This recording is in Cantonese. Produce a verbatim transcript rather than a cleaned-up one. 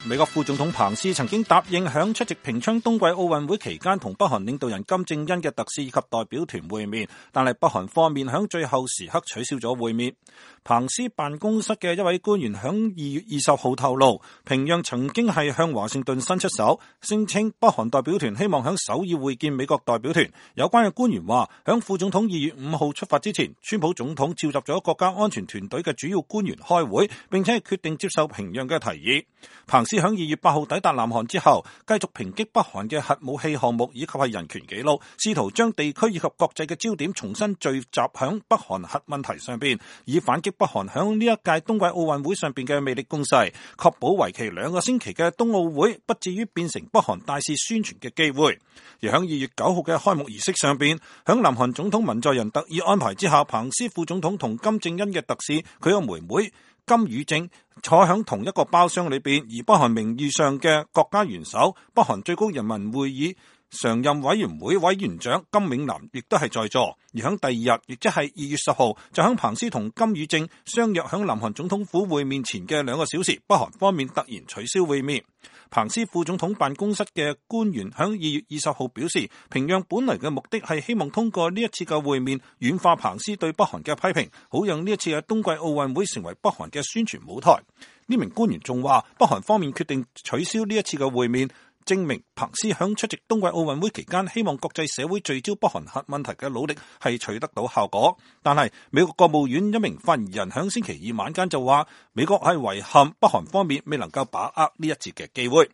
美國副總統彭斯曾經答應響出席平昌冬季奧運會期間同北韓領導人金正恩嘅特使以及代表團會面，但係北韓方面響最後時刻取消咗會面。彭斯辦公室嘅一位官員響二月二十號透露，平壤曾經係向華盛頓伸出手，聲稱北韓代表團希望響首爾會見美國代表團。有關嘅官員話，響副總統二月五號出發之前，川普總統召集咗國家安全團隊嘅主要官員開會，並且係決定接受平壤嘅提議。彭斯響二月八號抵達南韓之後，繼續抨擊北韓嘅核武器項目以及係人權紀錄，試圖將地區以及國際嘅焦點重新聚集響北韓核問題上邊，以反擊北韓響呢一屆冬季奧運會上邊嘅魅力攻勢，確保為期兩個星期嘅冬奧會不至於變成北韓大肆宣傳嘅機會。而響二月九號嘅開幕儀式上邊，響南韓總統文在寅特意安排之下，彭斯副總統同金正恩嘅特使佢個妹妹金與正坐響同一個包廂裏邊，而北韓名義上嘅國家元首北韓最高人民會議常任委員會委員長金永南亦都係在座。而響第二日，亦即係二月十號，就響彭斯同金與正相約響南韓總統府會面前嘅兩個小時，北韓方面突然取消會面。彭斯副總統辦公室嘅官員響二月二十號表示，平壤本來嘅目的係希望通過呢一次嘅會面軟化彭斯對北韓嘅批評，好讓呢一次嘅冬季奧運會成為北韓嘅宣傳舞台。呢名官員仲話，北韓方面決定取消呢一次嘅會面，證明彭斯響出席冬季奧運會期間希望國際社會聚焦北韓核問題嘅努力係取得到效果。但係美國國務院一名發言人響星期二晚間就話，美國係遺憾北韓方面未能夠把握呢一次嘅機會。